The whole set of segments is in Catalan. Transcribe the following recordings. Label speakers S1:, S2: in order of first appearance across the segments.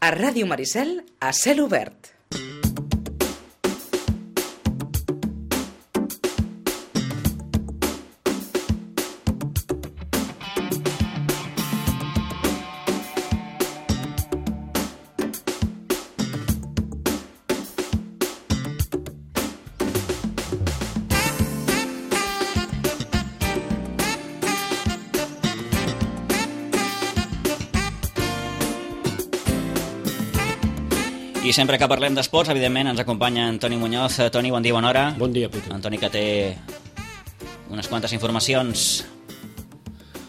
S1: A Ràdio Maricel, a cel obert.
S2: I sempre que parlem d'esports, evidentment, ens acompanya Antoni Muñoz. Toni, bon dia, bona hora.
S3: Bon dia, Peter.
S2: Antoni, que té unes quantes informacions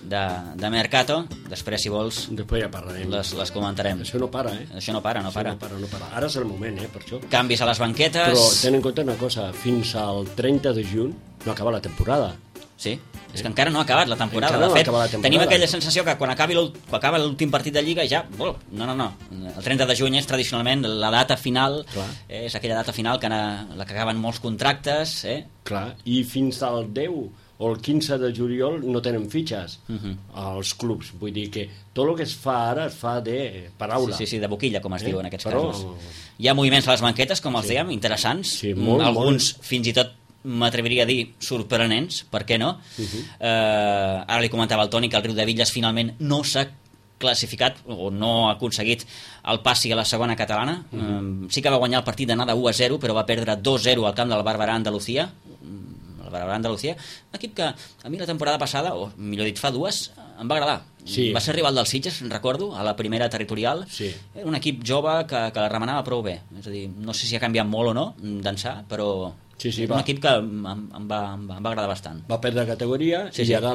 S2: de Mercato. Després, si vols,
S3: Després ja parlarem.
S2: les comentarem.
S3: Això no para,
S2: Això no para.
S3: No para. Ara és el moment, per això.
S2: Canvis a les banquetes.
S3: Però ten en compte una cosa, fins al 30 de juny no acaba la temporada.
S2: Sí, és que encara no ha acabat la temporada.
S3: Encara no
S2: de fet,
S3: ha acabat la temporada.
S2: Tenim aquella sensació que quan acaba l'últim partit de Lliga ja... No. El 30 de juny és tradicionalment la data final.
S3: Clar.
S2: És aquella data final que la que acaben molts contractes.
S3: Clar, i fins al 10 o el 15 de juliol no tenen fitxes als clubs. Vull dir que tot el que es fa ara es fa de paraula.
S2: Sí, de boquilla, com es diu en aquests
S3: Però...
S2: casos. Hi ha moviments a les banquetes, com els dèiem, interessants.
S3: Sí, molt,
S2: alguns fins i tot m'atreviria a dir sorprenents, per què no? Ara li comentava al Toni que el Riudebitlles finalment no s'ha classificat o no ha aconseguit el passi a la segona catalana. Sí que va guanyar el partit d'anada 1-0, però va perdre 2-0 al camp del Barberà Andalucía. El Barberà Andalucía, un equip que a mi la temporada passada, o millor dit fa dues, em va agradar.
S3: Sí.
S2: Va ser rival del Sitges, recordo, a la primera territorial.
S3: Sí.
S2: Era un equip jove que la remenava prou bé. És a dir, no sé si ha canviat molt o no d'ençà, però
S3: Sí,
S2: un equip que em va agradar bastant.
S3: Va perdre categoria i ara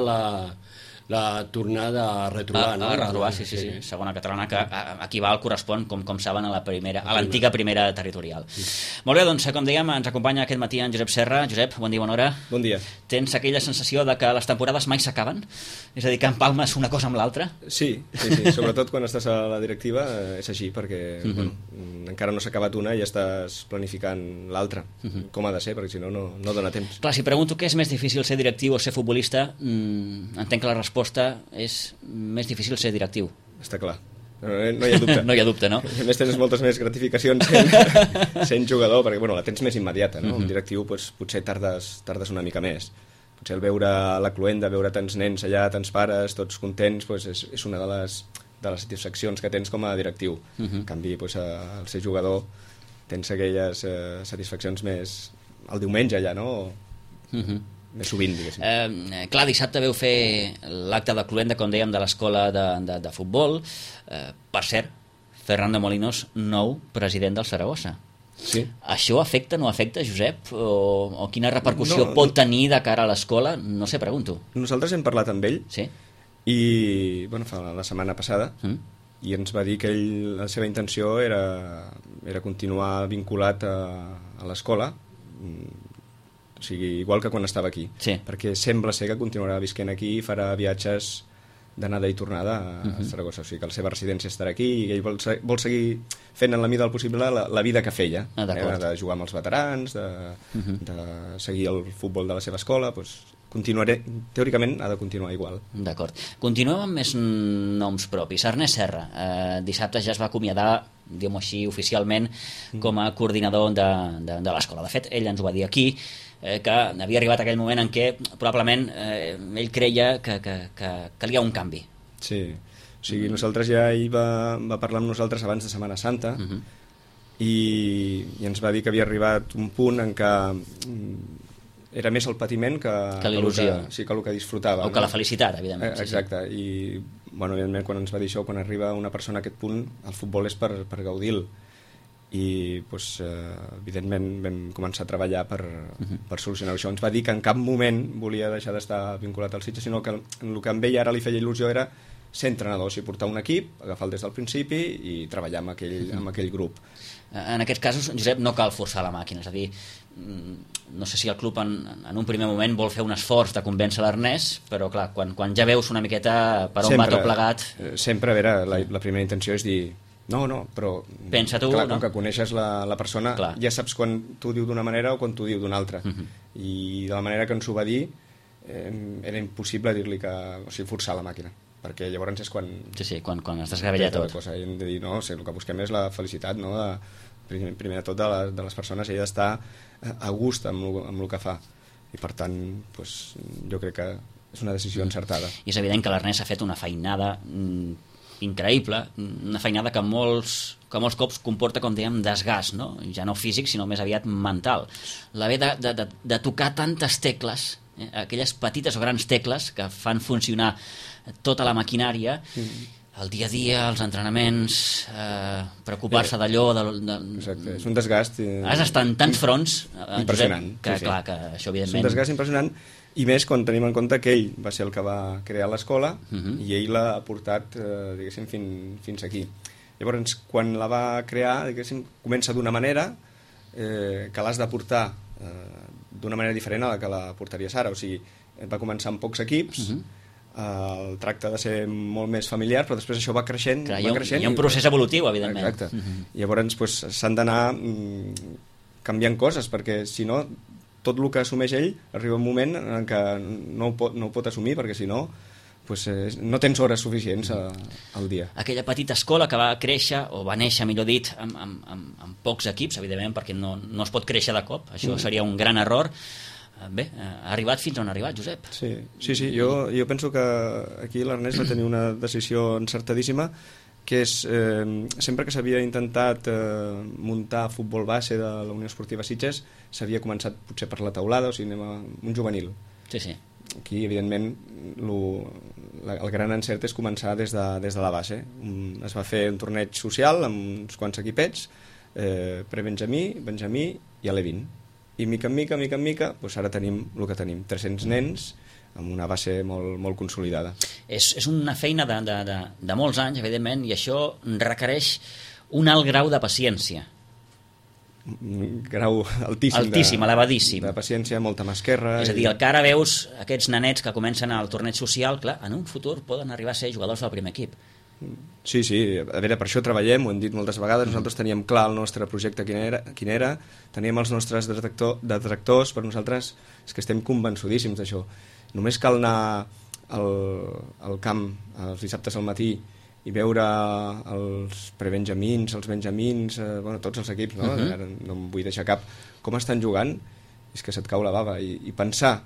S3: la tornada a retrobar, no?
S2: A retrobar, sí. Segona catalana, que aquí va el correspon, com saben, a l'antiga primera territorial. Molt bé, doncs, com dèiem, ens acompanya aquest matí en Josep Serra. Josep, bon dia, bona hora.
S4: Bon dia.
S2: Tens aquella sensació de que les temporades mai s'acaben? És a dir, que empalmes una cosa amb l'altra?
S4: Sí, sobretot quan estàs a la directiva és així, perquè encara no s'ha acabat una i ja estàs planificant l'altra, com ha de ser, perquè si no, no dona temps.
S2: Clar, si pregunto què és més difícil, ser directiu o ser futbolista, entenc que la resposta és més difícil ser directiu.
S4: Està clar. No hi ha dubte.
S2: No hi ha dubte, no?
S4: A més, tens moltes més gratificacions sent jugador, perquè la tens més immediata, no? El directiu potser tardes una mica més. Potser el veure la cluenda, veure tants nens allà, tants pares, tots contents, és una de les satisfaccions que tens com a directiu. En canvi, al ser jugador tens aquelles satisfaccions més el diumenge ja, no? Més sovint, diguéssim.
S2: Clar, dissabte veu fer l'acte de cluenda, com dèiem, de l'escola de futbol. Per cert, Fernando Molinos, nou president del Saragossa.
S4: Sí.
S2: Això afecta, no afecta, Josep? O quina repercussió pot tenir de cara a l'escola? No sé, pregunto.
S4: Nosaltres hem parlat amb ell.
S2: Sí.
S4: I, fa la setmana passada, i ens va dir que la seva intenció era continuar vinculat a l'escola, o sigui, igual que quan estava aquí.
S2: Sí.
S4: Perquè sembla ser que continuarà visquent aquí i farà viatges d'anada i tornada a Saragossa. O sigui, que la seva residència estarà aquí i ell vol seguir fent en la mida del possible la vida que feia. De jugar amb els veterans, de seguir el futbol de la seva escola, teòricament ha de continuar igual.
S2: D'acord. Continuem amb més noms propis. Ernest Serra, dissabte ja es va acomiadar, diguem-ho així, oficialment com a coordinador de l'escola. De fet, ell ens ho va dir aquí, que havia arribat aquell moment en què probablement ell creia que calia un canvi.
S4: Sí, o sigui, nosaltres ell va parlar amb nosaltres abans de Setmana Santa i ens va dir que havia arribat un punt en què era més el patiment que
S2: l'il·lusió.
S4: Que el que disfrutava.
S2: O que la felicitat, evidentment.
S4: Exacte, i evidentment quan ens va dir això, quan arriba una persona a aquest punt, el futbol és per gaudir-lo. I evidentment vam començar a treballar per solucionar això. Ens va dir que en cap moment volia deixar d'estar vinculat al Sitges, sinó que el que amb ell ara li feia il·lusió era ser entrenador, o sigui, portar un equip, agafar-lo des del principi i treballar amb aquell grup.
S2: En aquests casos, Josep, no cal forçar la màquina, és a dir, no sé si el club en un primer moment vol fer un esforç de convèncer l'Ernest, però clar, quan ja veus una miqueta per on va tot plegat...
S4: Sempre, a veure, la primera intenció és dir no, però...
S2: Pensa tu,
S4: clar,
S2: no?
S4: Com que coneixes la persona, clar, ja saps quan t'ho diu d'una manera o quan t'ho diu d'una altra. I de la manera que ens ho va dir, era impossible dir-li que... O sigui, forçar la màquina. perquè llavors és quan...
S2: Sí, quan es desgavella tot.
S4: Cosa. I hem de dir, no, el que busquem és la felicitat, no? Primer de tot de les persones, ella d'estar a gust amb el que fa. I per tant, doncs, jo crec que és una decisió encertada.
S2: I és evident que l'Ernest ha fet una feinada increïble, una feinada que molts cops comporta, com dèiem, desgast, no? Ja no físic, sinó més aviat mental. L'haver de tocar tantes tecles, aquelles petites o grans tecles que fan funcionar tota la maquinària, el dia a dia, els entrenaments, preocupar-se d'allò...
S4: Exacte, és un desgast...
S2: Has d'estar en tants fronts,
S4: impressionant.
S2: Josep, que clar, que això evidentment...
S4: És un desgast impressionant, i més quan tenim en compte que ell va ser el que va crear l'escola i ell l'ha portat, diguéssim, fins aquí. Llavors, quan la va crear, diguéssim, comença d'una manera que l'has de portar d'una manera diferent a la que la portaries ara. O sigui, va començar amb pocs equips, el tracte ha de ser molt més familiar, però després això va creixent.
S2: Clar, hi ha un procés evolutiu, evidentment.
S4: Exacte. Llavors, doncs, s'han d'anar canviant coses, perquè si no, tot el que assumeix ell arriba un moment en què no ho pot assumir, perquè si no, pues, no tens hores suficients al dia.
S2: Aquella petita escola que va créixer, o va néixer, millor dit, amb pocs equips, evidentment, perquè no es pot créixer de cop, això seria un gran error. Bé, ha arribat fins on ha arribat, Josep.
S4: Sí, jo penso que aquí l'Ernest va tenir una decisió encertadíssima, que és, sempre que s'havia intentat muntar futbol base de la Unió Esportiva Sitges, s'havia començat potser per la taulada, o sigui, anem a un juvenil.
S2: Sí.
S4: Aquí, evidentment, el gran encert és començar des de la base. Es va fer un torneig social amb uns quants equipets, pre-Benjamí, Benjamí i Alevín. I mica en mica, doncs ara tenim el que tenim, 300 nens amb una base molt consolidada.
S2: És una feina de molts anys, evidentment, i això requereix un alt grau de paciència.
S4: Un grau altíssim,
S2: elevadíssim.
S4: De paciència, molta mà esquerra.
S2: És a dir, el que ara veus, aquests nanets que comencen al torneig social, clar, en un futur poden arribar a ser jugadors del primer equip.
S4: Sí, a veure, per això treballem, ho hem dit moltes vegades, nosaltres teníem clar el nostre projecte quin era, teníem els nostres detractors, però nosaltres és que estem convençudíssims d'això. Només cal anar al camp els dissabtes al matí i veure els prebenjamins, els benjamins, tots els equips, no? Ara no em vull deixar cap, com estan jugant, és que se't cau la bava, i pensar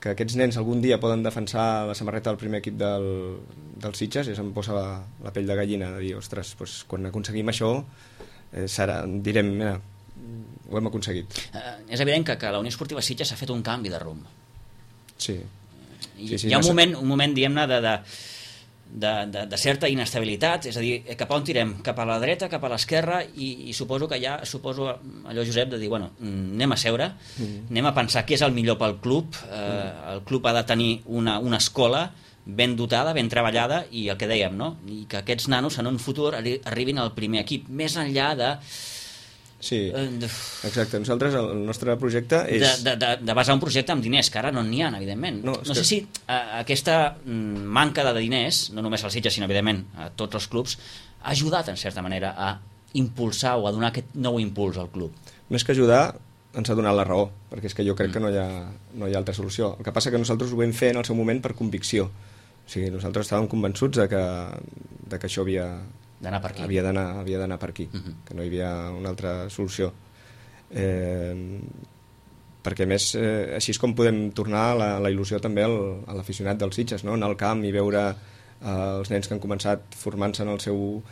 S4: que aquests nens algun dia poden defensar la samarreta del primer equip del Sitges, i se'm posa la pell de gallina de dir, ostres, doncs, quan aconseguim això direm, mira, ho hem aconseguit.
S2: És evident que la Unió Esportiva Sitges ha fet un canvi de rumb.
S4: Sí.
S2: Hi ha un moment diguem-ne, de certa inestabilitat, és a dir, cap a on tirem? Cap a la dreta, cap a l'esquerra, i suposo que allò, Josep, de dir, bueno, anem a seure, anem a pensar què és el millor pel club, el club ha de tenir una escola ben dotada, ben treballada, i el que dèiem, no? I que aquests nanos en un futur arribin al primer equip, més enllà de...
S4: Sí, exacte. Nosaltres, el nostre projecte és...
S2: De basar un projecte amb diners, que ara no n'hi ha, evidentment. No sé si aquesta manca de diners, no només als Sitges, sinó, evidentment, a tots els clubs, ha ajudat, en certa manera, a impulsar o a donar aquest nou impuls al club.
S4: Més que ajudar, ens ha donat la raó, perquè és que jo crec que no hi ha altra solució. El que passa que nosaltres ho vam fer en el seu moment per convicció. O sigui, nosaltres estàvem convençuts de que això havia d'anar per aquí, que no hi havia una altra solució. Perquè, a més, així és com podem tornar la il·lusió també a l'aficionat dels Sitges, no? Anar al camp i veure els nens que han començat formant-se en el seu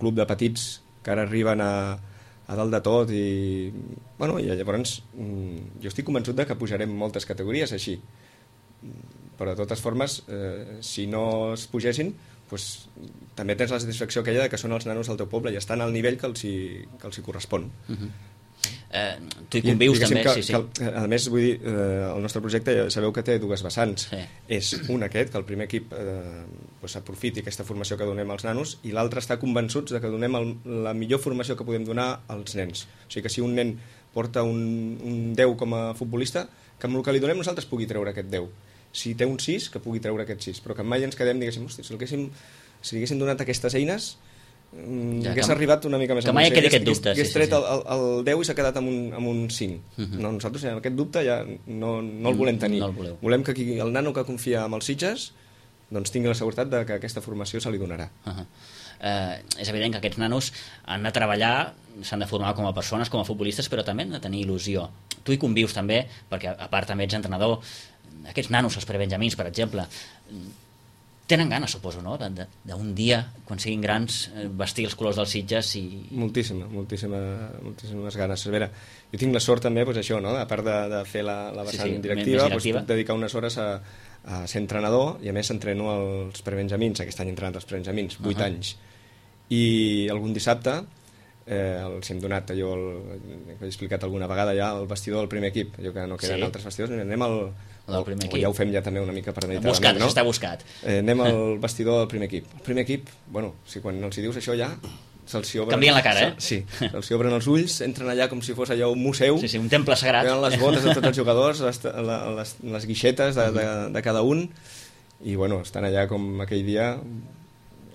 S4: club de petits, que ara arriben a dalt de tot, i llavors jo estic convençut de que pujarem moltes categories així, però de totes formes, si no es pugessin, doncs, també tens la satisfacció aquella de que són els nanos del teu poble i estan al nivell que els hi correspon.
S2: Tu hi convius també, sí.
S4: A més, vull dir, el nostre projecte, sabeu que té dues vessants. És un aquest, que el primer equip aprofiti aquesta formació que donem als nanos, i l'altre està convençuts de que donem la millor formació que podem donar als nens. O sigui que si un nen porta un 10 com a futbolista, que amb el que li donem nosaltres pugui treure aquest 10. Si té un 6, que pugui treure aquest 6, però que mai ens quedem, diguéssim, hosti, si li haguéssim donat aquestes eines, hagués arribat una mica més
S2: amunt. Que mai quedi aquest dubte.
S4: Hagués tret el 10 i s'ha quedat amb un 5. No, nosaltres aquest dubte ja no el volem tenir. Volem que el nano que confia en els Sitges doncs tingui la seguretat de que aquesta formació se li donarà.
S2: És evident que aquests nanos han de treballar, s'han de formar com a persones, com a futbolistes, però també han de tenir il·lusió. Tu hi convius també, perquè a part també ets entrenador. Aquests nanos, els prebenjamins, per exemple, tenen ganes, suposo, no? D'un dia, quan siguin grans, vestir els colors dels Sitges i... Moltíssimes ganes. A veure, jo tinc la sort també, doncs això, no? A part de fer la vessant directiva, doncs puc dedicar unes hores a ser entrenador, i a més entreno els prebenjamins. Aquest any he entrenat els prebenjamins, 8 anys. I algun dissabte els hem donat allò, que he explicat alguna vegada ja, el vestidor del primer equip, allò que no queden altres vestidors, anem al primer equip. Ja ho fem ja també una mica premeditadament, no? Està buscat.
S4: Anem al vestidor del primer equip. El primer equip, bueno, si quan els hi dius això ja se'ls obren...
S2: Canvien la cara,
S4: Sí, se'ls obren els ulls, entren allà com si fos allò un museu.
S2: Sí, un temple sagrat.
S4: Tenen les botes de tots els jugadors, les guixetes de cada un, i bueno, estan allà com aquell dia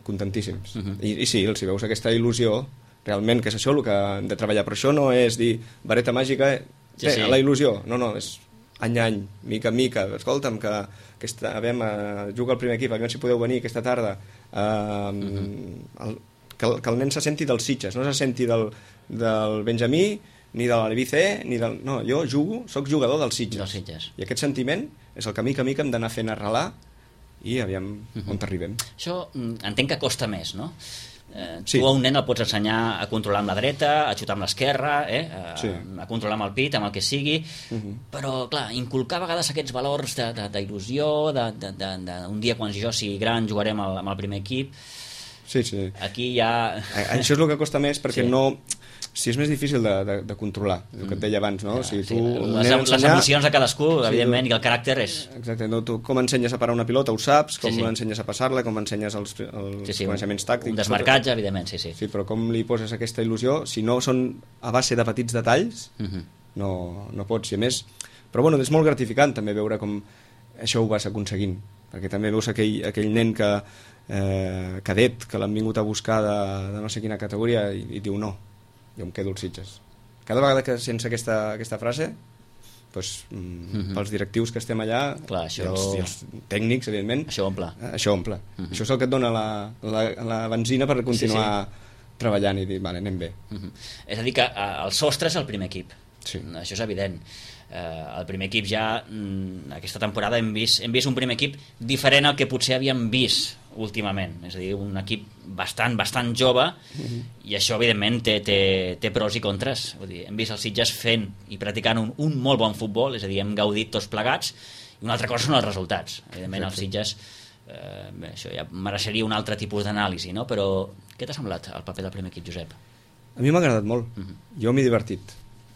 S4: contentíssims. I sí, els hi veus aquesta il·lusió, realment, que és això el que hem de treballar. Però això no és dir, vareta màgica, la il·lusió. No, és any a any, mica en mica. Escolta'm, que juga al primer equip, aviam si podeu venir aquesta tarda. Que el nen se senti dels Sitges, no se senti del Benjamí, ni de l'Albice, ni del... No, jo jugo, soc jugador dels Sitges. I aquest sentiment és el que mica en mica hem d'anar fent arrelar i aviam on arribem.
S2: Això entenc que costa més, no? Tu a un nen el pots ensenyar a controlar amb la dreta, a xutar amb l'esquerra, a controlar amb el pit, amb el que sigui, però clar, inculcar a vegades aquests valors d'il·lusió, d'un dia quan jo sigui gran jugarem amb el primer equip.
S4: Sí.
S2: Aquí ja...
S4: Això és el que costa més, perquè no... Si és més difícil de controlar, el que et deia abans, no? Si tu
S2: les emocions de cadascú, evidentment, i el caràcter és...
S4: Exacte, no? Tu com ensenyes a parar una pilota ho saps, com l'ensenyes a passar-la, com ensenyes els coneixements tàctics...
S2: Un desmarcatge, evidentment, sí.
S4: Sí, però com li poses aquesta il·lusió, si no són a base de petits detalls, no pots, i a més... Però bueno, és molt gratificant també veure com això ho vas aconseguint, perquè també veus aquell nen cadet, que l'han vingut a buscar de no sé quina categoria i diu no, jo em quedo als Sitges. Cada vegada que sents aquesta frase, doncs, pels directius que estem allà,
S2: clar,
S4: i els tècnics, evidentment,
S2: això omple.
S4: Això és el que et dona la benzina per continuar treballant i dir, vale, anem bé.
S2: És a dir, que el sostre és el primer equip.
S4: Sí.
S2: Això és evident. El primer equip ja, aquesta temporada hem vist un primer equip diferent al que potser havíem vist últimament, és a dir, un equip bastant jove, i això evidentment té pros i contres. Vull dir, hem vist els Sitges fent i practicant un molt bon futbol, és a dir, hem gaudit tots plegats, i una altra cosa són els resultats. Evidentment els Sitges, això ja mereixeria un altre tipus d'anàlisi, no? Però què t'ha semblat el paper del primer equip, Josep?
S4: A mi m'ha agradat molt, jo m'he divertit.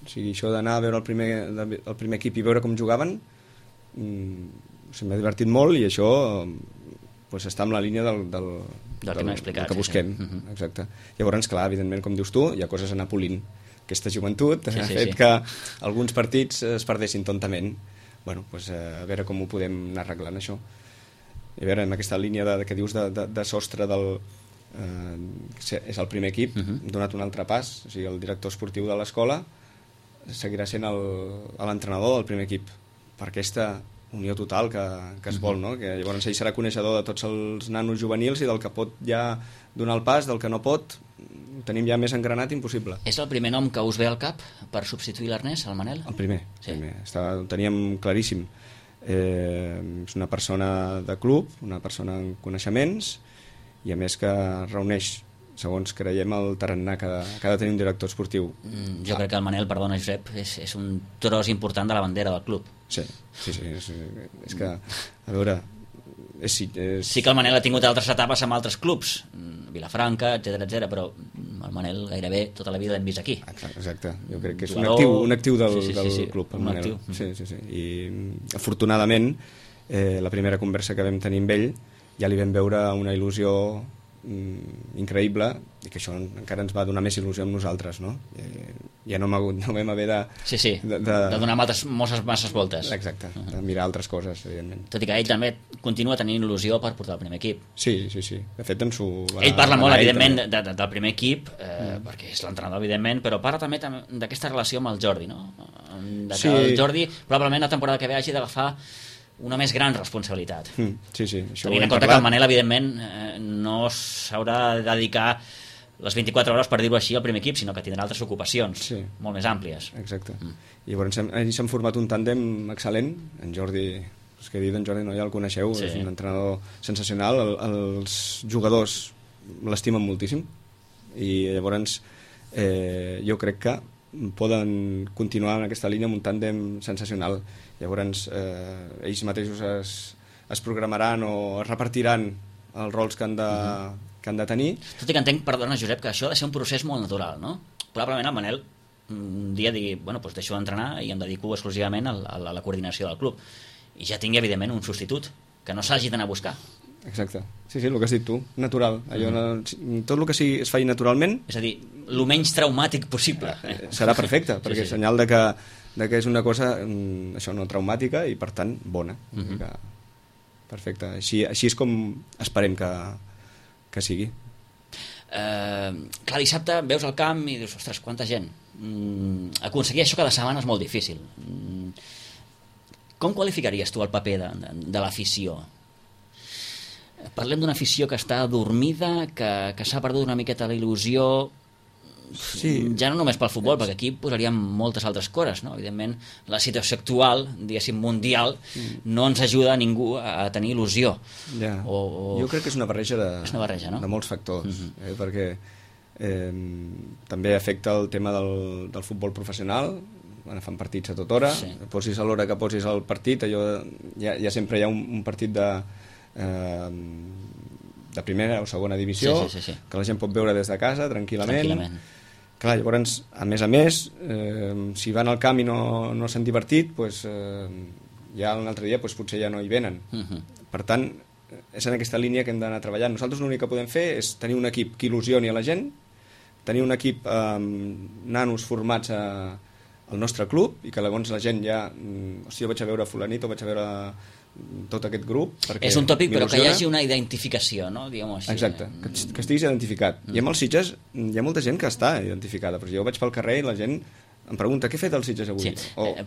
S4: O sigui, això d'anar a veure el primer equip i veure com jugaven, m'ha divertit molt, i això pues, està en la línia del que busquem. Exacte. Llavors, clar, evidentment, com dius tu, hi ha coses a anar polint. Aquesta joventut ha fet que alguns partits es perdessin tontament. Bueno, pues, a veure com ho podem anar arreglant, això. I a veure, en aquesta línia que dius de sostre és el primer equip, hem donat un altre pas. O sigui, el director esportiu de l'escola seguirà sent l'entrenador del primer equip, per aquesta unió total que es vol, no? Que llavors ell serà coneixedor de tots els nanos juvenils i del que pot ja donar el pas, del que no pot, ho tenim ja més engranat impossible.
S2: És el primer nom que us ve al cap per substituir l'Ernest, el Manel?
S4: El primer, ho teníem claríssim. És una persona de club, una persona amb coneixements, i a més que reuneix, segons creiem, el tarannà que ha de tenir un director esportiu.
S2: Jo crec que el Manel, perdona Josep, és un tros important de la bandera del club.
S4: Sí, és que, a veure...
S2: Sí que el Manel ha tingut altres etapes amb altres clubs, Vilafranca, etc, però el Manel gairebé tota la vida l'hem vist aquí.
S4: Exacte, jo crec que és un actiu del club, el Manel. Sí. I afortunadament, la primera conversa que vam tenir amb ell, ja li vam veure una il·lusió increïble, i que això encara ens va donar més il·lusió amb nosaltres, no? Ja no vam haver de
S2: donar masses voltes.
S4: Exacte, de mirar altres coses, evidentment.
S2: Tot i que ell també continua tenint il·lusió per portar el primer equip.
S4: Sí. De fet,
S2: ell parla molt, evidentment, del primer equip, perquè és l'entrenador, evidentment, però parla també d'aquesta relació amb el Jordi, no? El Jordi, probablement, la temporada que ve hagi d'agafar una més gran responsabilitat.
S4: Sí, això
S2: tenint en compte que el Manel, evidentment, no s'haurà de dedicar les 24 hores, per dir-ho així, al primer equip, sinó que tindrà altres ocupacions molt més àmplies.
S4: Exacte. I llavors s'han format un tàndem excel·lent. En Jordi, que he dit, en Jordi no, ja el coneixeu, és un entrenador sensacional. Els jugadors l'estimen moltíssim i llavors jo crec que poden continuar en aquesta línia amb un tàndem sensacional. Llavors ells mateixos es programaran o es repartiran els rols que han de tenir.
S2: Tot i que entenc, perdona Josep, que això ha de ser un procés molt natural, no? Probablement el Manel un dia digui, bueno, doncs deixo d'entrenar i em dedico exclusivament a la coordinació del club, i ja tingui evidentment un substitut que no s'hagi d'anar a buscar.
S4: Exacte, sí, el que has dit tu, natural. Tot el que es faci naturalment,
S2: és a dir, el menys traumàtic possible,
S4: serà perfecte, perquè és senyal de que és una cosa això, no traumàtica i per tant bona. Perfecte, així és com esperem que sigui.
S2: Clar, dissabte veus el camp i dius, ostres, quanta gent. Aconseguir això cada setmana és molt difícil. Com qualificaries tu el paper de l'afició? Parlem d'una afició que està adormida, que s'ha perdut una miqueta la il·lusió, ja no només pel futbol, perquè aquí posaríem moltes altres coses, no? Evidentment la situació actual, diguéssim mundial, no ens ajuda a ningú a tenir il·lusió.
S4: Jo crec que és una barreja
S2: de
S4: molts factors, perquè també afecta el tema del futbol professional. Fan partits a tota hora, posis a l'hora que posis el partit, ja sempre hi ha un partit de primera o segona divisió, que la gent pot veure des de casa tranquil·lament. Clar, llavors, a més, si van al camp i no s'han divertit, ja un altre dia potser ja no hi venen. Per tant, és en aquesta línia que hem d'anar treballant. Nosaltres l'únic que podem fer és tenir un equip que il·lusioni a la gent, tenir un equip amb nanos formats al nostre club, i que llavors la gent ja jo vaig a veure fulanito, vaig a veure tot aquest grup,
S2: és un tòpic, però que hi hagi una identificació, no? Diguem-ho així.
S4: Exacte, que estiguis identificat. I amb els Sitges hi ha molta gent que està identificada, però jo vaig pel carrer i la gent em pregunta, què ha fet el Sitges avui?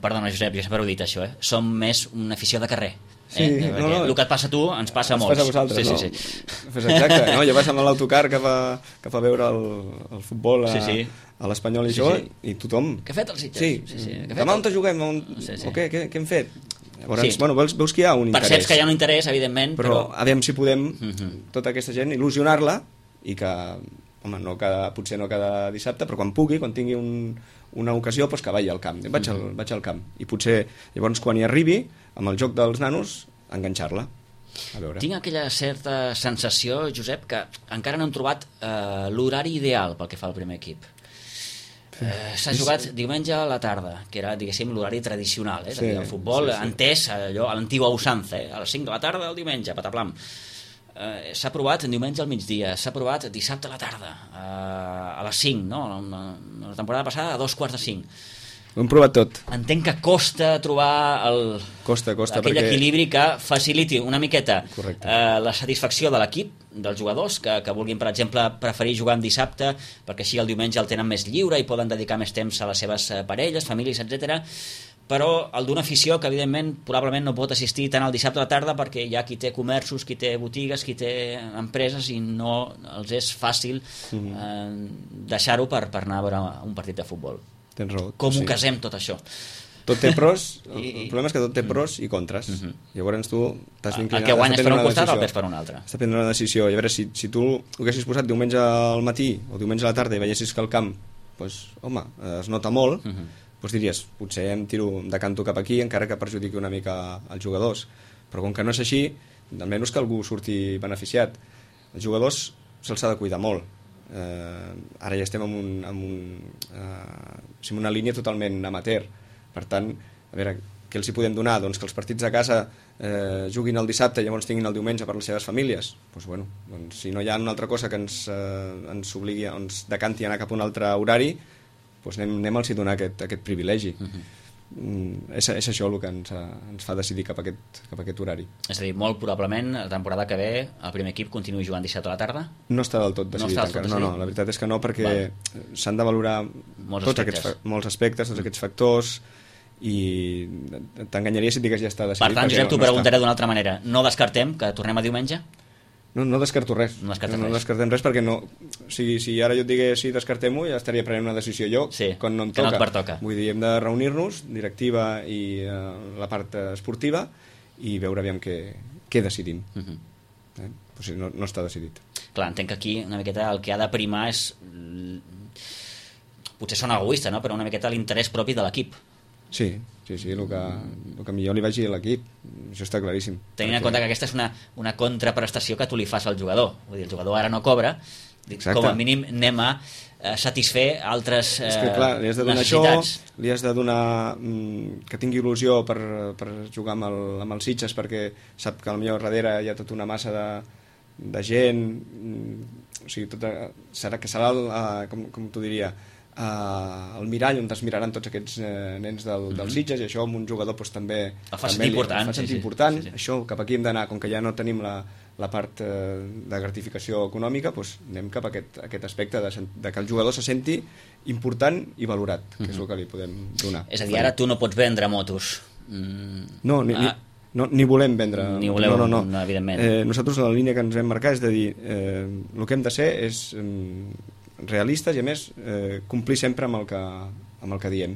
S2: Perdona, Josep, jo sempre ho he dit això, som més una afició de carrer.
S4: El
S2: que et passa a tu ens passa a molts.
S4: Ens passa a vosaltres, no? Exacte, jo vaig amb l'autocar que fa veure el futbol a l'Espanyol i i tothom...
S2: Què ha fet el Sitges?
S4: Demà on juguem? Què hem fet? Llavors, veus que hi ha un interès.
S2: Perceps que hi ha un interès, evidentment,
S4: però aviam si podem tota aquesta gent il·lusionar-la i que, potser no cada dissabte, però quan pugui, quan tingui una ocasió, que vagi al camp. Vaig al camp. I potser, llavors, quan hi arribi, amb el joc dels nanos, enganxar-la.
S2: Tinc aquella certa sensació, Josep, que encara no hem trobat l'horari ideal pel que fa al primer equip. S'ha jugat diumenge a la tarda, que era, diguéssim, l'horari tradicional, el futbol entès allò, a l'antigua usança, a les 5 de la tarda el diumenge, pataplam. S'ha provat diumenge al migdia, s'ha provat dissabte a la tarda, a les 5, no? La temporada passada a 4:45.
S4: Ho hem provat tot.
S2: Entenc que costa trobar aquell equilibri que faciliti una miqueta la satisfacció de l'equip, dels jugadors, que vulguin, per exemple, preferir jugar en dissabte, perquè així el diumenge el tenen més lliure i poden dedicar més temps a les seves parelles, famílies, etc. Però el d'una afició que, evidentment, probablement no pot assistir tant al dissabte a la tarda perquè hi ha qui té comerços, qui té botigues, qui té empreses i no els és fàcil deixar-ho per anar a veure un partit de futbol.
S4: Tens raó.
S2: Com ho casem tot això?
S4: Tot té pros, el problema és que tot té pros i contres. Llavors tu t'has d'inclinar.
S2: El que guanyes per un costat, el perds per un altre.
S4: Has de prendre una decisió. I a veure, si tu ho haguessis posat diumenge al matí o diumenge a la tarda i veiessis que el camp, es nota molt, diries, potser em decanto cap aquí, encara que perjudiqui una mica els jugadors. Però com que no és així, almenys que algú surti beneficiat. Els jugadors se'ls ha de cuidar molt. Ara ja estem en una línia totalment amateur. Per tant, a veure, què els hi podem donar? Doncs que els partits a casa juguin el dissabte i llavors tinguin el diumenge per les seves famílies. Doncs, si no hi ha una altra cosa que ens obligui, ens decanti a anar cap a un altre horari, doncs anem-los a donar aquest privilegi. És això el que ens fa decidir cap a aquest horari.
S2: És a dir, molt probablement la temporada que ve el primer equip continuï jugant dissabte a la tarda?
S4: No està del tot decidit encara. No, la veritat és que no, perquè s'han de valorar molts aspectes, tots aquests factors, i t'enganyaria si et digués ja està decidit.
S2: Per tant, Josep, t'ho preguntaré d'una altra manera. No descartem que tornem a diumenge?
S4: No descarto res.
S2: No
S4: descartem res perquè no... Si ara jo et digués sí, descartem-ho, ja estaria prenent una decisió jo quan no em toca.
S2: No et pertoca.
S4: Vull dir, hem de reunir-nos, directiva i la part esportiva, i veure aviam què decidim. Pues no està decidit.
S2: Clar, entenc que aquí una miqueta el que ha de primar és... Potser sona egoista, no? Però una miqueta l'interès propi de l'equip.
S4: Sí, el que millor li vagi a l'equip, això està claríssim.
S2: Tenint en compte que aquesta és una contraprestació que tu li fas al jugador. Vull dir, el jugador ara no cobra, com a mínim anem a satisfer altres necessitats. És que clar,
S4: li has de donar això, li has de donar que tingui il·lusió per jugar amb els Sitges, perquè sap que al millor darrere hi ha tota una massa de gent, o sigui, serà com t'ho diria, el mirall on es miraran tots aquests nens dels Sitges, i això amb un jugador també
S2: el fa sentir important.
S4: Això cap aquí hem d'anar, com que ja no tenim la part de gratificació econòmica, doncs anem cap a aquest aspecte de que el jugador se senti important i valorat, que és el que li podem donar.
S2: És a dir, ara tu no pots vendre motos.
S4: No, ni volem vendre.
S2: Ni voleu, no, evidentment.
S4: Nosaltres la línia que ens hem marcat és de dir el que hem de ser és realistes i a més complir sempre amb el que diem,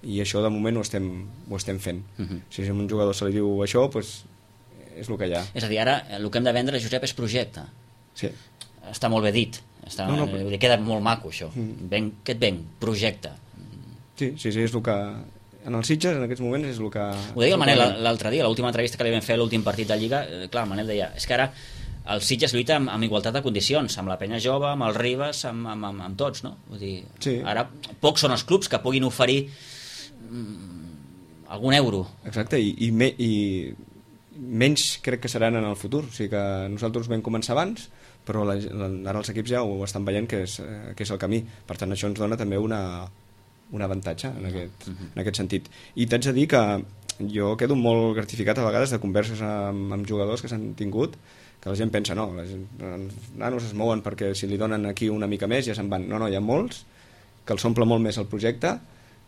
S4: i això de moment ho estem fent. Si a un jugador se li diu això, doncs és el que hi ha.
S2: És a dir, ara el que hem de vendre, Josep, és projecte.
S4: Sí.
S2: Està molt bé dit, queda molt maco això. Què et ven? Projecte.
S4: Sí, és el que en els Sitges en aquests moments és el que...
S2: Ho deia el Manel l'altre dia, l'última entrevista que li vam fer a l'últim partit de Lliga. Clar, el Manel deia, és que ara el Sitges lluita amb igualtat de condicions, amb la Penya Jove, amb el Ribes, amb tots, no? Vull dir, ara pocs són els clubs que puguin oferir algun euro.
S4: Exacte, i menys crec que seran en el futur. O sigui que nosaltres vam començar abans, però ara els equips ja ho estan veient que és el camí. Per tant, això ens dona també un avantatge en aquest sentit. I t'haig de dir que jo quedo molt gratificat a vegades de converses amb jugadors que s'han tingut, que la gent pensa, no, els nanos es mouen perquè si li donen aquí una mica més ja se'n van. No, hi ha molts que els omple molt més el projecte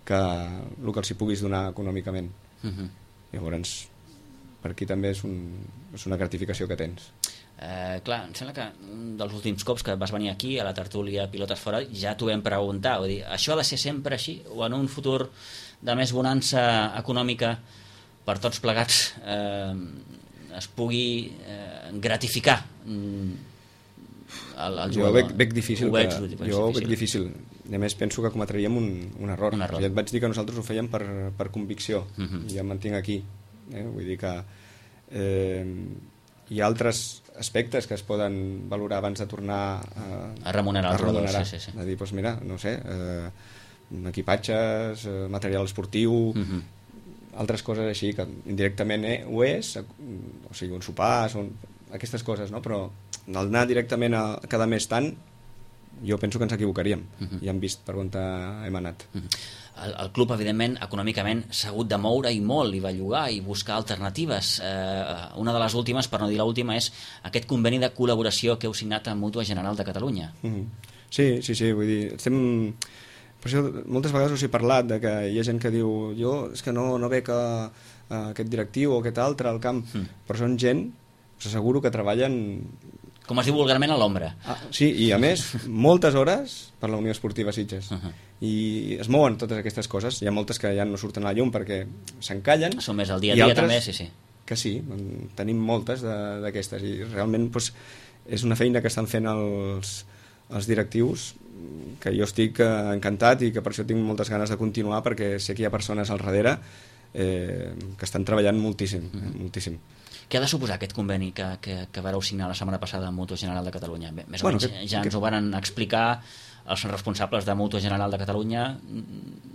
S4: que el que els hi puguis donar econòmicament. Llavors, per aquí també és una gratificació que tens.
S2: Clar, em sembla que un dels últims cops que vas venir aquí a la tertúlia Pilotes Fora ja t'ho vam preguntar, vull dir, això ha de ser sempre així o en un futur de més bonança econòmica per tots plegats es pugui gratificar el jugador?
S4: Jo veig difícil, difícil. I a més penso que cometríem un error. Ja et vaig dir que nosaltres ho fèiem per convicció, i ja em mantinc aquí. Vull dir que hi ha altres aspectes que es poden valorar abans de tornar
S2: a remunerar els jugadors.
S4: A dir, doncs mira, no sé, equipatges, material esportiu, altres coses així, que indirectament ho és, o sigui, un sopar, són aquestes coses, no? Però al anar directament a cada mes tant, jo penso que ens equivocaríem. Ja hem vist per on hem anat.
S2: El club, evidentment, econòmicament s'ha hagut de moure i molt, i bellugar i buscar alternatives. Una de les últimes, per no dir l'última, és aquest conveni de col·laboració que heu signat amb Mútua General de Catalunya.
S4: Sí, vull dir, estem... Per això moltes vegades us he parlat de que hi ha gent que diu és que no veig aquest directiu o aquest altre al camp, però són gent, us asseguro que treballen...
S2: Com es diu vulgarment, a l'ombra.
S4: Sí, i a més, moltes hores per la Unió Esportiva Sitges. I es mouen totes aquestes coses. Hi ha moltes que ja no surten a la llum perquè s'encallen.
S2: Són més al dia a dia també, sí.
S4: Que sí, tenim moltes d'aquestes, i realment és una feina que estan fent els directius, que jo estic encantat i que per això tinc moltes ganes de continuar, perquè sé que hi ha persones al darrere que estan treballant moltíssim.
S2: Què ha de suposar aquest conveni que vareu signar la setmana passada amb Mútua General de Catalunya? Més o menys ja ens ho van explicar els responsables de Mútua General de Catalunya.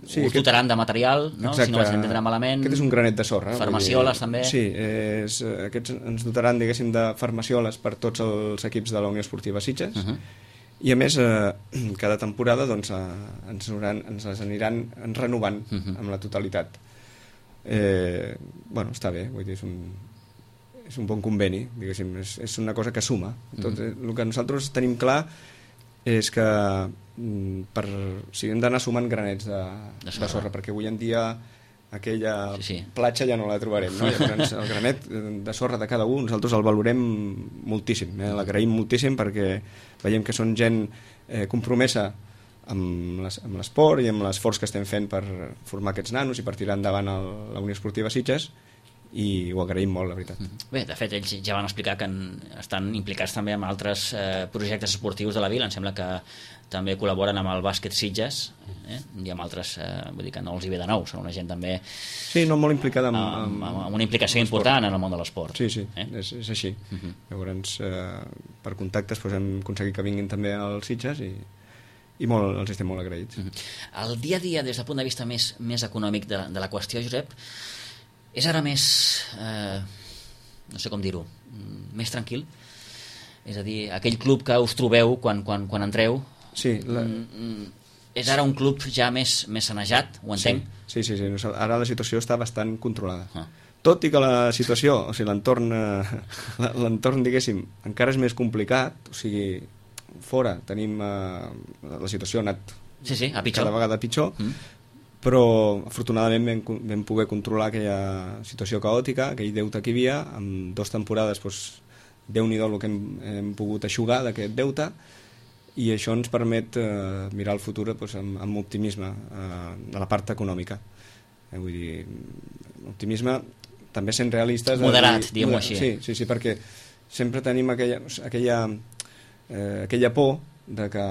S2: Us dotaran de material, no? Si no vaig entendre malament.
S4: Aquest és un granet de sorra.
S2: Farmacioles també.
S4: Sí, aquests ens dotaran, diguéssim, de farmacioles per tots els equips de la Unió Esportiva Sitges. I a més, cada temporada ens les aniran renovant amb la totalitat. Està bé, vull dir, és un bon conveni, diguéssim, és una cosa que suma. El que nosaltres tenim clar és que hem d'anar sumant granets de sorra, perquè avui en dia aquella
S2: Sí.
S4: platja ja no la trobarem, no? Llavors, el granet de sorra de cada un nosaltres el valorem moltíssim, l'agraïm moltíssim perquè veiem que són gent compromesa amb l'esport i amb l'esforç que estem fent per formar aquests nanos i per tirar endavant la Unió Esportiva Sitges, i ho agraïm molt, la veritat.
S2: Bé, de fet, ells ja van explicar que estan implicats també amb altres projectes esportius de la vila. Em sembla que també col·laboren amb el bàsquet Sitges, i amb altres, vull dir que no els hi ve de nou, són una gent també
S4: Sí, no, molt implicada
S2: amb una implicació important en el món de l'esport.
S4: Sí, és així. Llavors, per contactes hem aconseguit que vinguin també als Sitges i molt, els estem molt agraïts.
S2: El dia a dia, des del punt de vista més econòmic de la qüestió, Josep, és ara més, no sé com dir-ho, més tranquil? És a dir, aquell club que us trobeu quan entreu,
S4: sí,
S2: és ara un club ja més sanejat, ho entenc?
S4: Sí. Ara la situació està bastant controlada. Tot i que la situació, o sigui, l'entorn, diguéssim, encara és més complicat, o sigui, fora tenim la situació ha anat
S2: a pitjor.
S4: Cada vegada pitjor, però afortunadament vam poder controlar aquella situació caòtica, aquell deute que hi havia. En 2 temporades Déu-n'hi-do el que hem pogut eixugar d'aquest deute, i això ens permet mirar el futur amb optimisme de la part econòmica. Vull dir, optimisme també sent realistes,
S2: moderat, diguem-ho així.
S4: Sí, perquè sempre tenim aquella por de que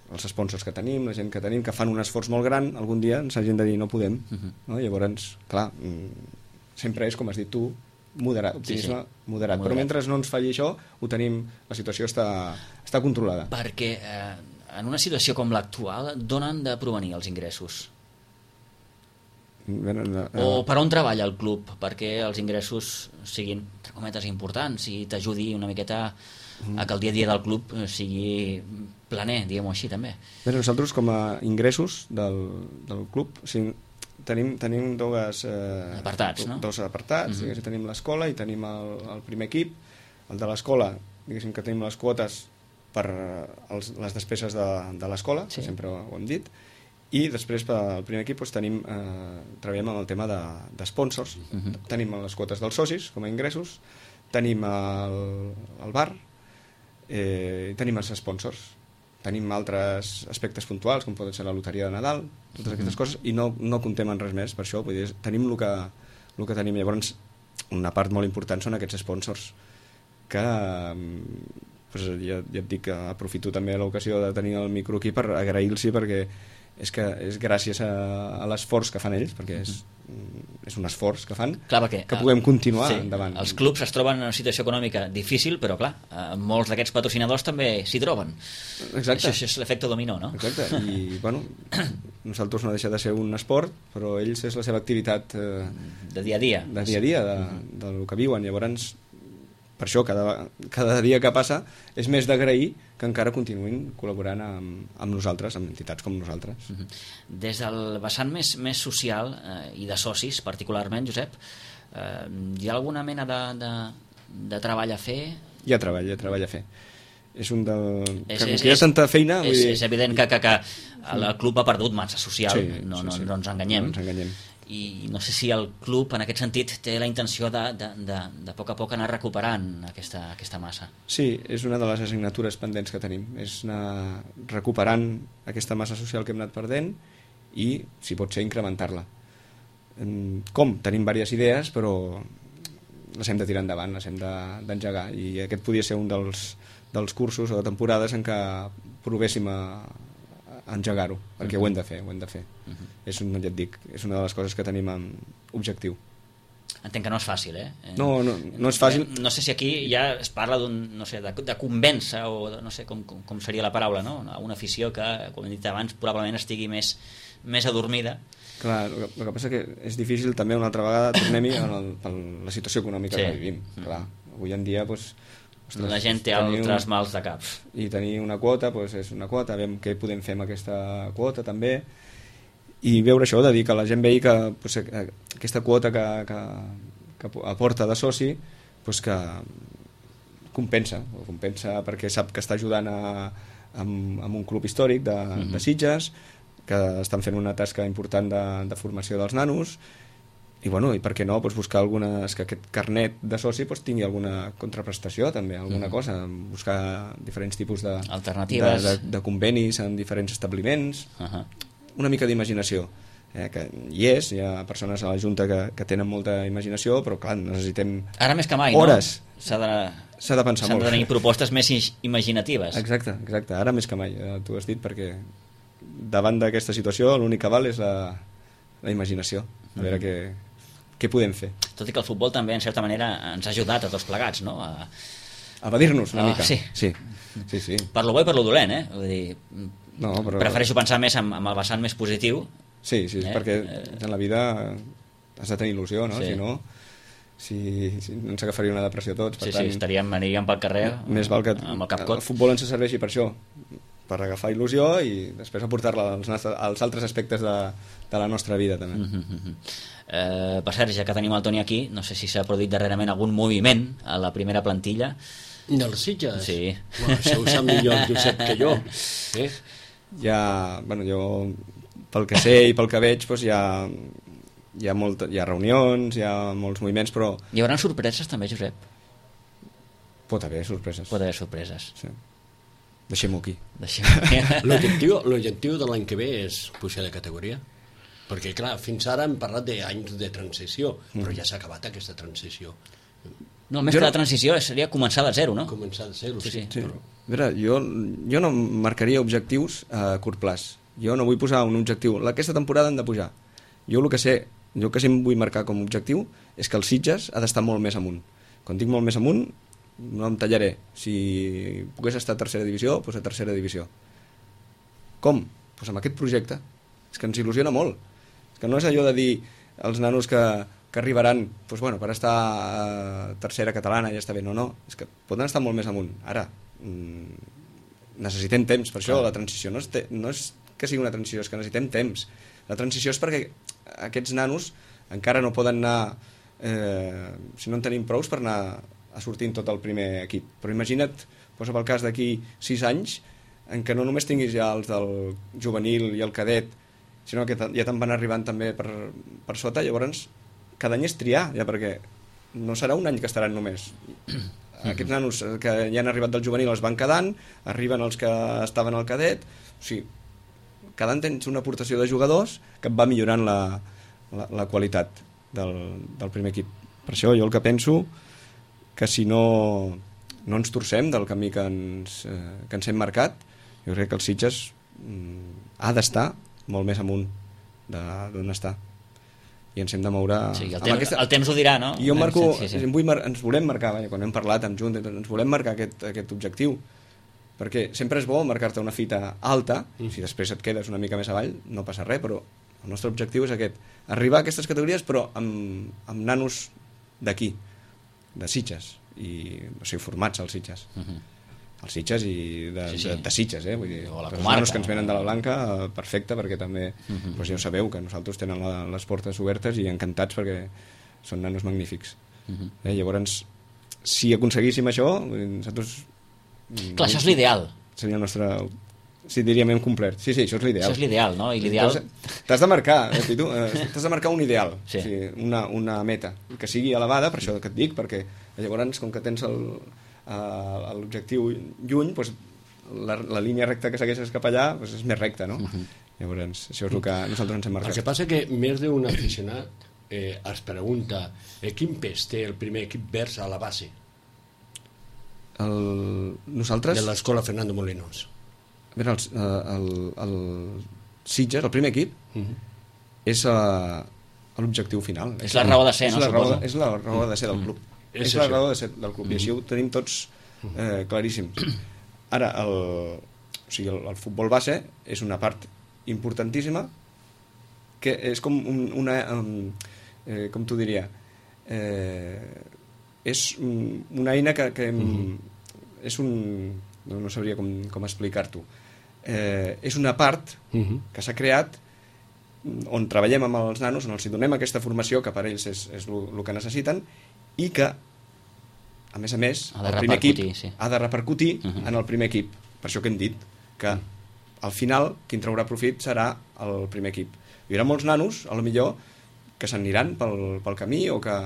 S4: els sponsors que tenim, la gent que tenim, que fan un esforç molt gran, algun dia ens hagin de dir no podem, no? Llavors, clar, sempre és, com has dit tu, moderat, optimisme moderat. Però mentre no ens falli això, ho tenim, la situació està controlada.
S2: Perquè en una situació com l'actual, d'on han de provenir els ingressos? O per on treballa el club perquè els ingressos siguin, entre cometes, importants i t'ajudi una miqueta a que el dia a dia del club sigui planer, diguem-ho així, també.
S4: Bé, nosaltres, com a ingressos del club, tenim dos
S2: apartats, no?
S4: Dos apartats, tenim l'escola i tenim el primer equip. El de l'escola, diguéssim que tenim les quotes per les despeses de l'escola, que sempre ho hem dit, i després pel primer equip treballem amb el tema d'esponsors. Tenim les quotes dels socis com a ingressos, tenim el bar, tenim els sponsors, tenim altres aspectes puntuals com poden ser la loteria de Nadal, totes aquestes coses, i no comptem en res més. Per això vull dir, tenim el que tenim. Llavors, una part molt important són aquests sponsors que ja et dic que aprofito també l'ocasió de tenir el micro aquí per agrair-los, perquè és gràcies a l'esforç que fan ells, perquè és un esforç que fan, que puguem continuar endavant.
S2: Els clubs es troben en una situació econòmica difícil, però clar, molts d'aquests patrocinadors també s'hi troben.
S4: Exacte.
S2: Això és l'efecte dominó, no?
S4: Exacte, i bueno, nosaltres no deixa de ser un esport, però ells és la seva activitat
S2: de dia a dia,
S4: del que viuen. Llavors, per això cada dia que passa és més d'agrair que encara continuïn col·laborant amb nosaltres, amb entitats com nosaltres.
S2: Des del vessant més social i de socis particularment, Josep, hi ha alguna mena de treball a fer?
S4: Hi ha treball a fer. És un que hi ha tanta feina...
S2: És evident que el club ha perdut massa social, no ens enganyem. I no sé si el club en aquest sentit té la intenció de poc a poc anar recuperant aquesta massa.
S4: Sí, és una de les assignatures pendents que tenim, és anar recuperant aquesta massa social que hem anat perdent i, si pot ser, incrementar-la. Com? Tenim diverses idees, però les hem de tirar endavant, les hem d'engegar, i aquest podia ser un dels cursos o temporades en què provéssim a engegar-ho, perquè ho hem de fer. És una de les coses que tenim en objectiu.
S2: Entenc que no és fàcil,
S4: No és fàcil.
S2: No sé si aquí ja es parla de convèncer, o no sé com seria la paraula, no? Una afició que, com he dit abans, probablement estigui més adormida.
S4: Clar, el que passa que és difícil també, una altra vegada, tornem-hi a la situació econòmica que vivim. Clar, avui en dia,
S2: la gent té altres mals de cap.
S4: I tenir una quota, és una quota, veiem què podem fer amb aquesta quota també, i veure això, de dir que la gent vegi que aquesta quota que aporta de soci, que compensa perquè sap que està ajudant amb un club històric de Sitges, que estan fent una tasca important de formació dels nanos, i bueno, i per què no, doncs buscar que aquest carnet de soci tingui alguna contraprestació també, alguna cosa, buscar diferents tipus
S2: alternatives
S4: de convenis en diferents establiments, una mica d'imaginació, que hi ha persones a la Junta que tenen molta imaginació, però clar, necessitem
S2: ara més que mai,
S4: hores.
S2: No?
S4: S'ha de pensar molt.
S2: S'han de tenir propostes més imaginatives.
S4: Exacte, ara més que mai, tu has dit, perquè davant d'aquesta situació l'únic que val és la imaginació, a veure què podem fer.
S2: Tot i que el futbol també, en certa manera, ens ha ajudat a tots plegats, no?
S4: A evadir-nos una mica.
S2: Sí. Per lo bo i per lo dolent, Vull dir,
S4: però...
S2: prefereixo pensar més amb el vessant més positiu.
S4: Sí, perquè en la vida has de tenir il·lusió, no?
S2: Sí.
S4: Si no ens agafaria una depressió tots. Per tant,
S2: aniríem pel carrer
S4: més val que
S2: amb el cap cot.
S4: El futbol ens serveixi per això, per agafar il·lusió i després aportar-la als altres aspectes de la nostra vida també.
S2: Per cert, ja que tenim el Toni aquí, no sé si s'ha produït darrerament algun moviment a la primera plantilla
S3: dels Sitges?
S2: Sí.
S3: Això ho sap millor el Josep que jo.
S4: Jo pel que sé i pel que veig hi ha reunions, hi ha molts moviments, però...
S2: Hi haurà sorpreses també, Josep?
S4: Pot haver sorpreses. Sí. Deixem-ho aquí.
S3: L'objectiu de l'any que ve és pujar de categoria? Perquè, clar, fins ara hem parlat d'anys de transició, però ja s'ha acabat aquesta transició.
S2: No, més que la transició seria començar de zero, no?
S3: Començar de zero, sí.
S4: Però... A veure, jo no marcaria objectius a curt plaç. Jo no vull posar un objectiu. Aquesta temporada han de pujar. Jo el que sí em vull marcar com a objectiu és que el Sitges ha d'estar molt més amunt. Quan dic molt més amunt, no em tallaré. Si pogués estar a tercera divisió, doncs a tercera divisió. Com? Doncs amb aquest projecte. És que ens il·lusiona molt. És que no és allò de dir als nanos que arribaran per estar a tercera catalana ja està bé. No. És que poden estar molt més amunt. Ara, necessitem temps. Per això la transició no és que sigui una transició, és que necessitem temps. La transició és perquè aquests nanos encara no poden anar, si no en tenim prous, per anar a sortir en tot el primer equip. Però imagina't, posa pel cas d'aquí 6 anys, en què no només tinguis ja els del juvenil i el cadet, sinó que ja te'n van arribant també per sota, llavors cada any és triar, ja, perquè no serà un any que estaran només. Aquests nanos que ja han arribat del juvenil els van quedant, arriben els que estaven al cadet, o sigui, cada any tens una aportació de jugadors que et va millorant la qualitat del primer equip. Per això jo el que penso que si no ens torcem del camí que ens hem marcat, jo crec que el Sitges ha d'estar molt més amunt d'on està. I ens hem de moure...
S2: Sí, el temps ho dirà, no?
S4: Jo ens volem marcar, quan hem parlat amb Junt, ens volem marcar aquest objectiu, perquè sempre és bo marcar-te una fita alta, si després et quedes una mica més avall no passa res, però el nostre objectiu és aquest, arribar a aquestes categories però amb nanos d'aquí, de Sitges, o sigui, formats als Sitges. Els Sitges i de Sitges, vull dir, els nanos que ens venen de la Blanca, perfecte, perquè també ja ho sabeu, que nosaltres tenen les portes obertes i encantats perquè són nanos magnífics. Llavors, si aconseguíssim això, nosaltres...
S2: Clar, això és l'ideal.
S4: Seria el nostre... Sí, diríem hem complert. Sí, això és l'ideal.
S2: Això és l'ideal, no? I l'ideal...
S4: T'has de marcar, t'has de marcar un ideal, o sigui, una meta, que sigui elevada, per això que et dic, perquè llavors, com que tens l'objectiu lluny, doncs la línia recta que segueixes cap allà és més recta, no? Llavors, això és el que nosaltres ens hem marcat.
S3: El que passa que més d'un aficionat es pregunta quin pes té el primer equip vers a la base?
S4: Nosaltres...
S3: De l'escola Fernando Molinos.
S4: A veure, el Sitges, el primer equip, és l'objectiu final.
S2: És la raó de ser, no?
S4: És la raó de ser del club. És la raó de ser del club, i així ho tenim tots claríssim. Ara, el futbol base és una part importantíssima, que és com una... com t'ho diria... és una eina que és un... no sabria com explicar-t'ho. És una part que s'ha creat on treballem amb els nanos, on els donem aquesta formació que per ells és el que necessiten, i que a més el primer equip ha de repercutir en el primer equip. Per això que hem dit que al final qui en traurà profit serà el primer equip. Hi haurà molts nanos, a lo millor, que s'aniran pel camí o que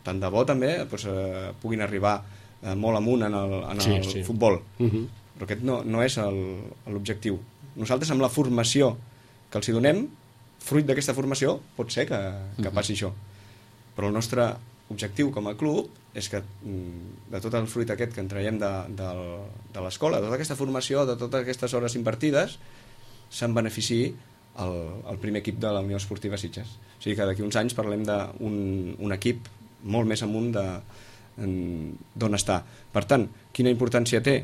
S4: tant de bo també puguin arribar molt amunt en el futbol. Però aquest no és l'objectiu. Nosaltres amb la formació que els hi donem, fruit d'aquesta formació pot ser que passi això. Però el nostre objectiu com a club és que de tot el fruit aquest que en traiem de l'escola, de tota aquesta formació, de totes aquestes hores invertides, se'n beneficiï el primer equip de la Unió Esportiva Sitges. O sigui que d'aquí uns anys parlem d'un equip molt més amunt d'on està. Per tant, quina importància té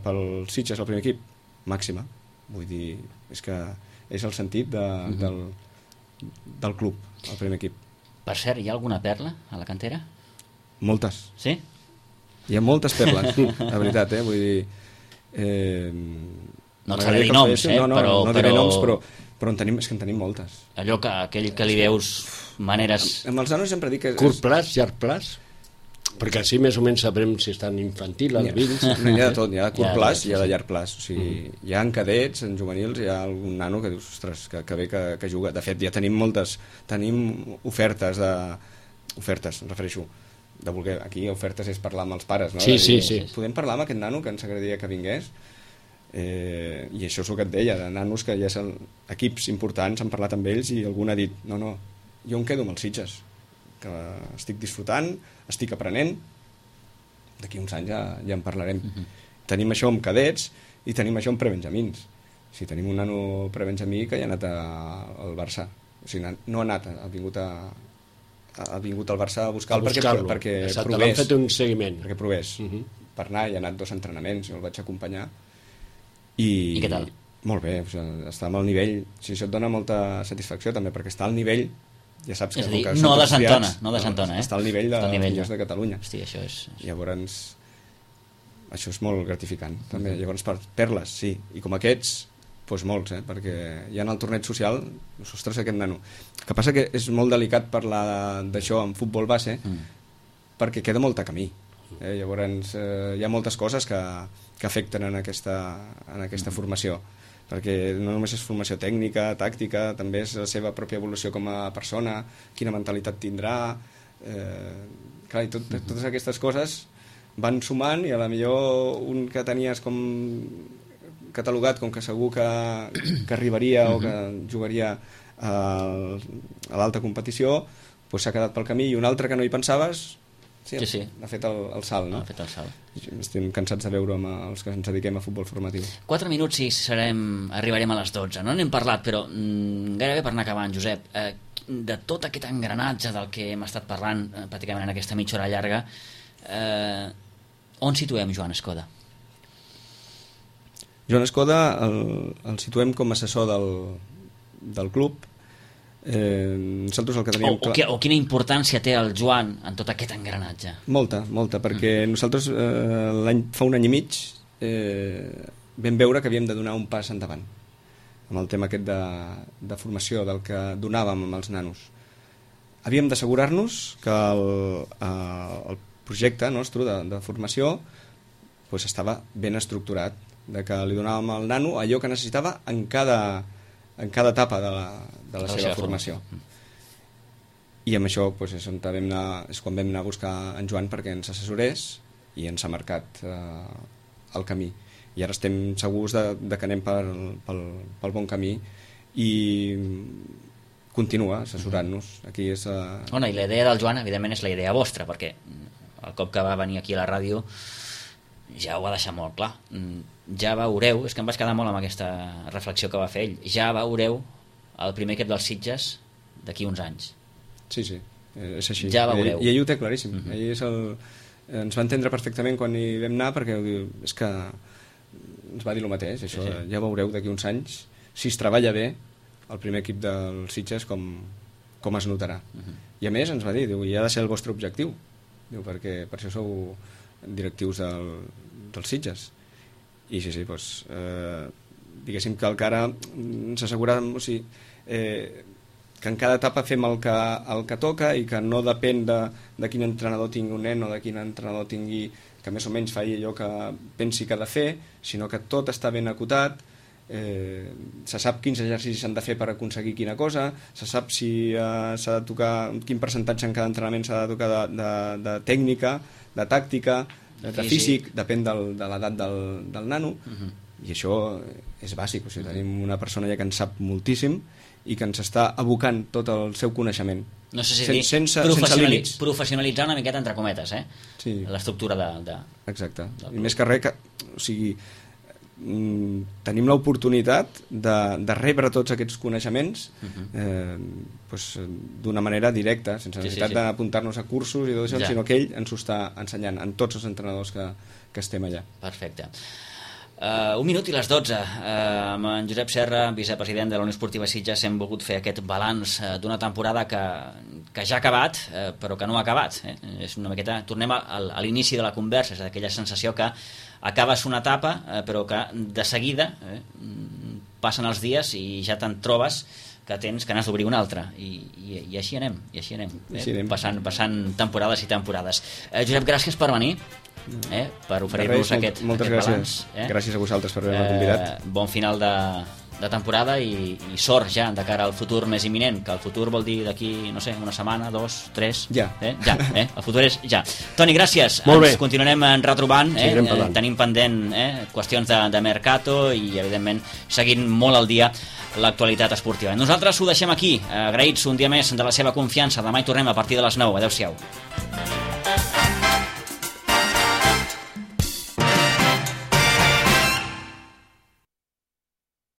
S4: pel Sitges el primer equip? Màxima. Vull dir, és que és el sentit del club, el primer equip.
S2: Per cert, hi ha alguna perla a la cantera?
S4: Moltes.
S2: Sí?
S4: Hi ha moltes perles, la veritat, vull dir...
S2: No et faré dir noms,
S4: no diré noms, però és que en tenim moltes.
S2: Allò que aquell que li veus maneres...
S4: Amb els nanos sempre dic que...
S3: Curt plaç, llarg plaç? Perquè així més o menys sabrem si estan infantil, alevins...
S4: N'hi ha de tot, hi ha de curt plaç i hi ha de llarg plaç. O sigui, hi ha en cadets, en juvenils, hi ha algun nano que dius, ostres, que bé que juga. De fet, ja tenim ofertes, em refereixo, de voler... Aquí ofertes és parlar amb els pares, no?
S3: Sí.
S4: Podem parlar amb aquest nano que ens agradaria que vingués? I això és el que et deia, de nanos que ja són equips importants, han parlat amb ells i algú ha dit, no, jo em quedo amb els Sitges, que estic disfrutant, estic aprenent, d'aquí uns anys ja en parlarem. Tenim això amb cadets i tenim això amb prebenjamins. O sigui, tenim un nano prebenjamí que ja ha anat al Barça. O sigui, no ha anat, ha vingut al Barça a buscar-lo perquè
S3: provés. L'han fet un seguiment.
S4: Perquè provés. Per anar, hi ha anat 2 entrenaments, jo el vaig acompanyar. I
S2: què tal?
S4: Molt bé, està amb el nivell, això et dona molta satisfacció també, perquè està al nivell, ja saps que...
S2: És a dir, no desentona,
S4: està al nivell de Filles de Catalunya.
S2: Hosti, això és...
S4: Llavors, això és molt gratificant, també. Llavors, per perles, sí, i com aquests, doncs molts, perquè ja en el torneig social, ostres, aquest nano. El que passa que és molt delicat parlar d'això en futbol base, perquè queda molt a camí. Llavors, hi ha moltes coses que afecten en aquesta formació, perquè no només és formació tècnica, tàctica, també és la seva pròpia evolució com a persona, quina mentalitat tindrà, clar, i totes aquestes coses van sumant, i a la millor un que tenies com catalogat com que segur que arribaria o que jugaria a l'alta competició, doncs s'ha quedat pel camí, i un altre que no hi pensaves sí. Ha fet el salt, no?
S2: Ha fet el salt.
S4: Estem cansats de veure amb els que ens dediquem a futbol formatiu.
S2: 4 minuts i arribarem a les 12. No n'hem parlat, però gairebé per anar acabant, Josep, de tot aquest engranatge del que hem estat parlant pràcticament en aquesta mitja hora llarga, on situem Joan Escoda?
S4: Joan Escoda el situem com a assessor del club. Nosaltres el que teníem
S2: o quina importància té el Joan en tot aquest engranatge?
S4: Molta, perquè nosaltres fa un any i mig vam veure que havíem de donar un pas endavant amb el tema aquest de formació del que donàvem amb els nanos. Havíem d'assegurar-nos que el projecte nostre de formació estava ben estructurat, de que li donàvem al nano allò que necessitava en cada etapa de la seva formació. I amb això és quan vam anar a buscar en Joan perquè ens assessorés i ens ha marcat el camí. I ara estem segurs de que anem pel bon camí i continua assessorant-nos. Aquí és...
S2: I la idea del Joan, evidentment, és la idea vostra, perquè el cop que va venir aquí a la ràdio ja ho va deixar molt clar. Ja veureu, és que em vaig quedar molt amb aquesta reflexió que va fer ell, ja veureu el primer equip dels Sitges d'aquí uns anys.
S4: Sí, és així.
S2: Ja veureu.
S4: I ell ho té claríssim. Ell ens va entendre perfectament quan hi vam anar, perquè és que ens va dir el mateix, això. Sí. Ja veureu d'aquí uns anys, si es treballa bé, el primer equip dels Sitges com es notarà. I a més ens va dir, i ha de ser el vostre objectiu, perquè per això sou directius dels Sitges. I sí, diguéssim que encara ens assegurem, que en cada etapa fem el que toca i que no depèn de quin entrenador tingui un nen o de quin entrenador tingui, que més o menys faci allò que pensi que ha de fer, sinó que tot està ben acotat se sap quins exercicis s'han de fer per aconseguir quina cosa, se sap si s'ha de tocar, quin percentatge en cada entrenament s'ha de tocar de tècnica, de tàctica, de físic, depèn de l'edat del nano, i això és bàsic. O sigui, tenim una persona ja que en sap moltíssim i que ens està abocant tot el seu coneixement.
S2: No sé si
S4: sense límits.
S2: Professionalitzar una miqueta entre cometes,
S4: sí.
S2: L'estructura de...
S4: Exacte. I més que res, o sigui, tenim l'oportunitat de rebre tots aquests coneixements d'una manera directa, sense necessitat d'apuntar-nos a cursos i tot això, sinó que ell ens ho està ensenyant en tots els entrenadors que estem allà.
S2: Perfecte. 1 minut i les 12. Amb en Josep Serra, vicepresident de la Unió Esportiva Sitges, hem volgut fer aquest balanç d'una temporada que ja ha acabat, però que no ha acabat. És una miqueta... Tornem a l'inici de la conversa, és aquella sensació que acabes una etapa, però que de seguida passen els dies i ja te'n trobes que n'has d'obrir una altra, i així anem, passant temporades i temporades. Josep, gràcies per venir, per oferir-nos aquest balanç.
S4: Gràcies a vosaltres per haver-me convidat.
S2: Bon final de temporada i sort ja de cara al futur més imminent, que el futur vol dir d'aquí, no sé, una setmana, 2, 3...
S4: Ja.
S2: El futur és ja. Toni, gràcies.
S3: Ens
S2: continuarem retrobant, tenim pendent qüestions de mercato i, evidentment, seguint molt al dia l'actualitat esportiva. Nosaltres ho deixem aquí, agraïts un dia més de la seva confiança. Demà hi tornem a partir de les 9. Adéu-siau.